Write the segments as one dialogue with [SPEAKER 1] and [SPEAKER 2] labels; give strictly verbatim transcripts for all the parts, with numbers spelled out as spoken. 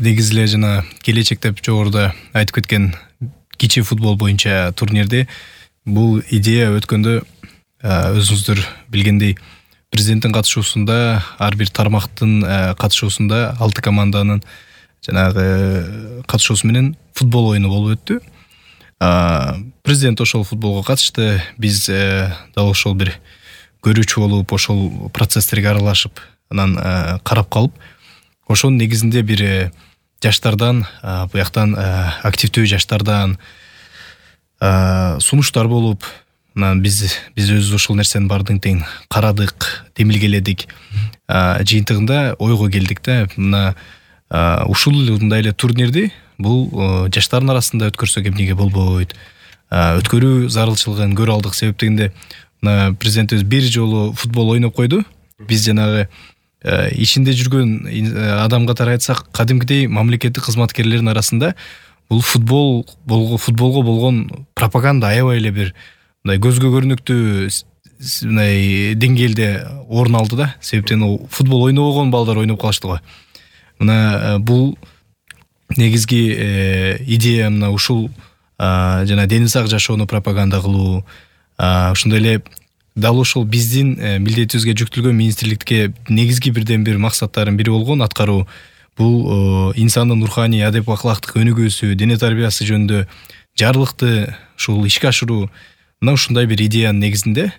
[SPEAKER 1] негизи эле жана келечек деп жогоруда айтып кеткен кичи футбол боюнча турнирди бул идея өткөндө өзүңүздөр билгендей президенттин катышуусунда ар бир тармактын катышуусунда алты команданын жанагы катышуусу менен футбол оюну болуп өттү. Президент ошол футболго катышты. Биз дал ошол бир көрүүчү болуп, ошол процесстерге аралашып, анан карап калып, ошонун негизинде бир жаштардан, буяктан активдүү жаштардан сунуштар болуп, анан биз биз өзүбүз ошол нерсенин баардыгын тең карадык, демилгеледик. Жыйынтыгында ойго келдик да, мына ушундай эле турнирди бул жаштардын арасында өткөрсөк эмнеге болбойт? Өткөрүү зарылчылыгын көрө алдык. Себеп дегенде мына президентибиз бир жолу футбол ойноп койду. Биз жанагы ичинде жүргөн адам катары айтсак, кадимкидей мамлекеттик кызматкерлердин арасында бул футбол футболго болгон пропаганда аябай эле бир мындай көзгө көрүнүктүү мындай деңгээлде орун алды да. Себептен футбол ойнобогон балдар ойноп калышты го. Мына бул негизги идея мына ушул жана дени сак жашоону пропаганда кылуу, ошондой эле дал ошол биздин милдетибизге жүктөлгөн министрликке негизги бирден бир максаттардын бири болгон аткаруу бул инсандын руханий адеп аклактык өнүгүүсү, дене тарбиясы жөнүндө жарлыкты ушул ишке ашыруу. Мына ушундай бир идеянын негизинде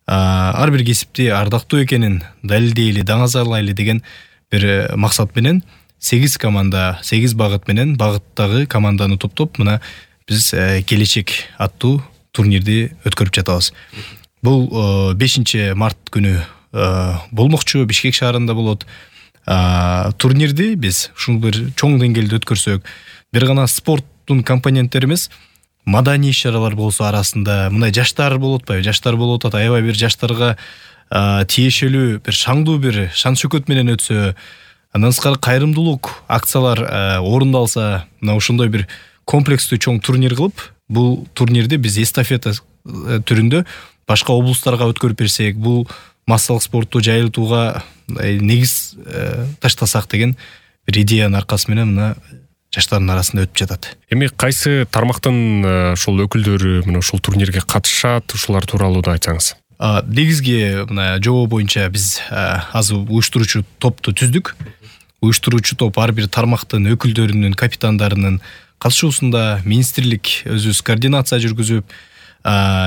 [SPEAKER 1] ар бир кесипти ардактуу экенин далилдейли, даңазалайлы деген бир максат менен сегиз команда, сегиз багыт менен багыттагы команданы топтоп, мына биз келечек аттуу турнирди өткөрүп жатабыз. Бул бешинчи март күнү болмокчу, Бишкек шаарында болот. Турнирди биз ушул бир чоң деңгээлде өткөрсөк, бир гана спорттун компоненттери эмес, маданий иш-чаралар болсо арасында, мындай жаштар болуп атпайбы? Жаштар болуп атат, аябай бир жаштарга тиешелүү бир шаңдуу бир шан шөкөт менен өтсө, андан тышкары кайрымдуулук акциялар орундалса, мына ошондой бир комплекстүү чоң турнир кылып, бул турнирди биз эстафета түрүндө башка облустарга өткөрүп берсек, бул массалык спортту жайылтууга негиз таштасак деген бир идеянын аркасы менен мына жаштардын арасында өтүп жатат.
[SPEAKER 2] Эми кайсы тармактын ошол өкүлдөрү мына ушул турнирге катышат, ушулар тууралуу да айтсаңыз.
[SPEAKER 1] Негизги мына жобо боюнча биз азыр уюштуруучу топту түздүк. Уюштуруучу топ ар бир тармактын өкүлдөрүнүн, капитандарынын катышуусунда министрлик өзүбүз координация жүргүзүп,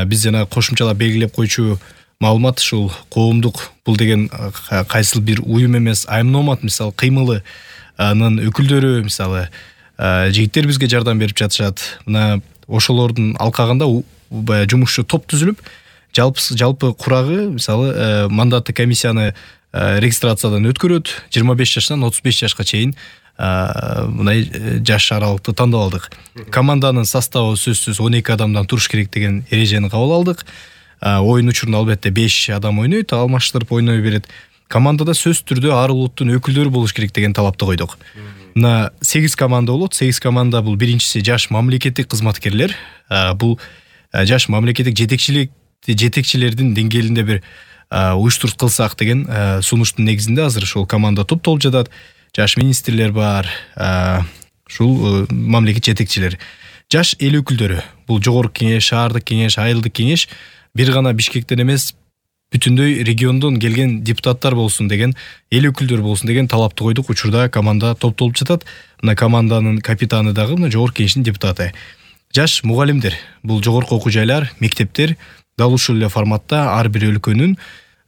[SPEAKER 1] биз жана кошумчалап белгилеп койчу маалымат ушул коомдук бул деген кайсыл бир уюм эмес, аймномат мисалы кыймылынын өкүлдөрү мисалы жигиттер бизге жардам берип жатышат. Мына ошолордун алкагында жумушчу топ түзүлүп, жалпы жалпы курагы мисалы мандатты комиссияны регистрациядан өткөрөт. жыйырма беш жаштан отуз беш жашка чейин мындай жаш аралыкты тандап алдык. Команданын составы сөзсүз он эки адамдан туруш керек деген эрежени кабыл алдык. Оюн учурунда албетте беш адам ойнойт, алмаштырып ойной берет. Командада сөз түрдө ар улуттун өкүлдөрү болуш керек деген талапты койдук. Мына сегиз команда болот. сегиз команда бул биринчиси жаш мамлекеттик кызматкерлер. Бул жаш мамлекеттик жетекчилик жетекчилердин деңгээлинде бир уюштуруп кылсак деген сунуштун негизинде азыр ошол команда топтолуп жатат. Жаш министрлер бар, ушул мамлекет жетекчилери. Жаш эл өкүлдөрү, бул жогорку кеңеш, шаардык кеңеш, айылдык кеңеш бир гана Бишкектен эмес, бүтүндөй региондон келген депутаттар болсун деген, эл өкүлдөрү болсун деген талапты койдук. Учурда команда топтолуп жатат. Мына команданын капитаны дагы мына жогорку кеңештин депутаты. Жаш мугалимдер, бул жогорку окуу жайлар, мектептер дал ушул эле форматта ар бир өлкөнүн,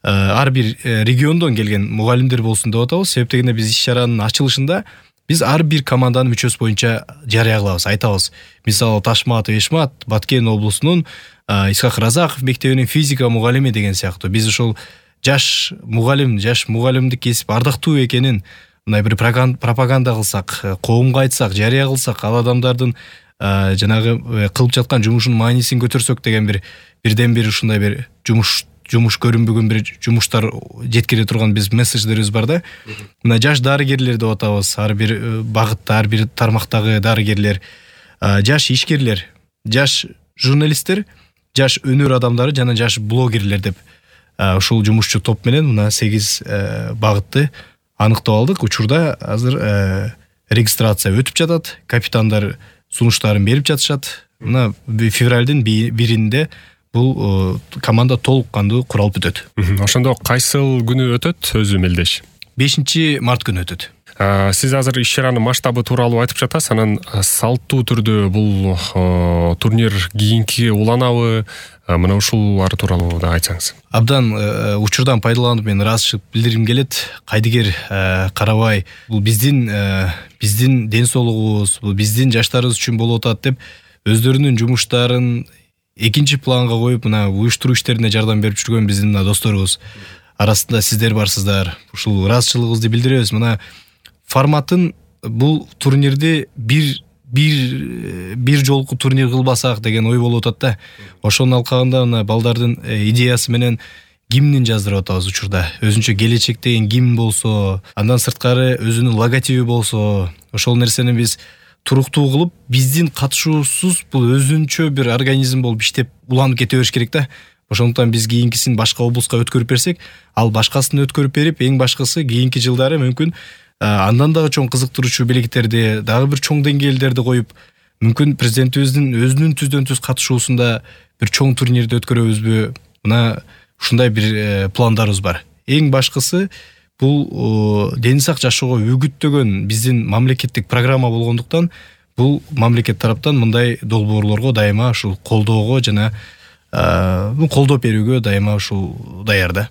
[SPEAKER 1] ар бир региондон келген мугалимдер болсун деп атабыз. Себеп дегенде биз иш-чаранын ачылышында биз ар бир команданын мүчөсү боюнча жарыя кылабыз, айтабыз. Мисалы Ташматов Эшмат Баткен облусунун Исхак Разаков мектебинин физика мугалими деген сыяктуу. Биз ошол жаш мугалим, жаш мугалимдик кесип ардактуу экенин мындай бир пропаганда кылсак, коомго айтсак, жарыя кылсак, ал адамдардын жанагы кылып жаткан жумушунун маанисин көтөрсөк деген бир бирден бир ушундай бир жумуш жумуш көрүнбөгөн бир жумуштар жеткире турган биз месседждерибиз бар да. Мына жаш дарыгерлер деп атабыз. Ар бир багытта, ар бир тармактагы дарыгерлер, жаш ишкерлер, жаш журналисттер, жаш өнөр адамдары жана жаш блогерлер деп ушул жумушчу топ менен мына сегиз багытты аныктап алдык. Учурда азыр регистрация өтүп жатат, капитандар сунуштарын берип жатышат. Мына февралдын биринде бул команда толук кандуу куралып бүтөт.
[SPEAKER 2] Ошондо кайсыл күнү өтөт өзү мелдеш?
[SPEAKER 1] бешинчи март күнү өтөт.
[SPEAKER 2] Сиз азыр иш-чаранын масштабы тууралуу айтып жатасыз. Анан салттуу түрдө бул турнир кийинки уланабы? Мына ушулар тууралуу да айтсаңыз.
[SPEAKER 1] Абдан учурдан пайдаланып мен ыраазычылык билдиргим келет. Кайдыгер карабай, бул биздин биздин ден соолугубуз, бул биздин жаштарыбыз үчүн болуп атат деп өздөрүнүн жумуштарын экинчи планга коюп, мына уюштуруу иштерине жардам берип жүргөн биздин досторубуз арасында сиздер барсыздар. Ушул ыраазычылыгыбызды билдиребиз. Мына форматын бул турнирди бир бир бир жолку турнир кылбасак деген ой болуп атат да. Ошонун алкагында мына балдардын идеясы менен гимнин жаздырып атабыз учурда. Өзүнчө келечек деген гимн болсо, андан сырткары өзүнүн логотиби болсо, ошол нерсени биз туруктуу кылып, биздин катышуусуз бул өзүнчө бир организм болуп иштеп уланып кете бериш керек да. Ошондуктан биз кийинкисин башка облуска өткөрүп берсек, ал башкасын өткөрүп берип, эң башкысы кийинки жылдары мүмкүн андан дагы чоң кызыктыруучу белектерди, дагы бир чоң деңгээлдерди коюп, мүмкүн президентибиздин өзүнүн түздөн түз катышуусунда бир чоң турнирди өткөрөбүзбү? Мына ушундай бир пландарыбыз бар. Эң башкысы бул дени сак жашоого үгүттөгөн биздин мамлекеттик программа болгондуктан, бул мамлекет тараптан мындай долбоорлорго дайыма ушул колдоого жана колдоп берүүгө дайыма ушул даярда.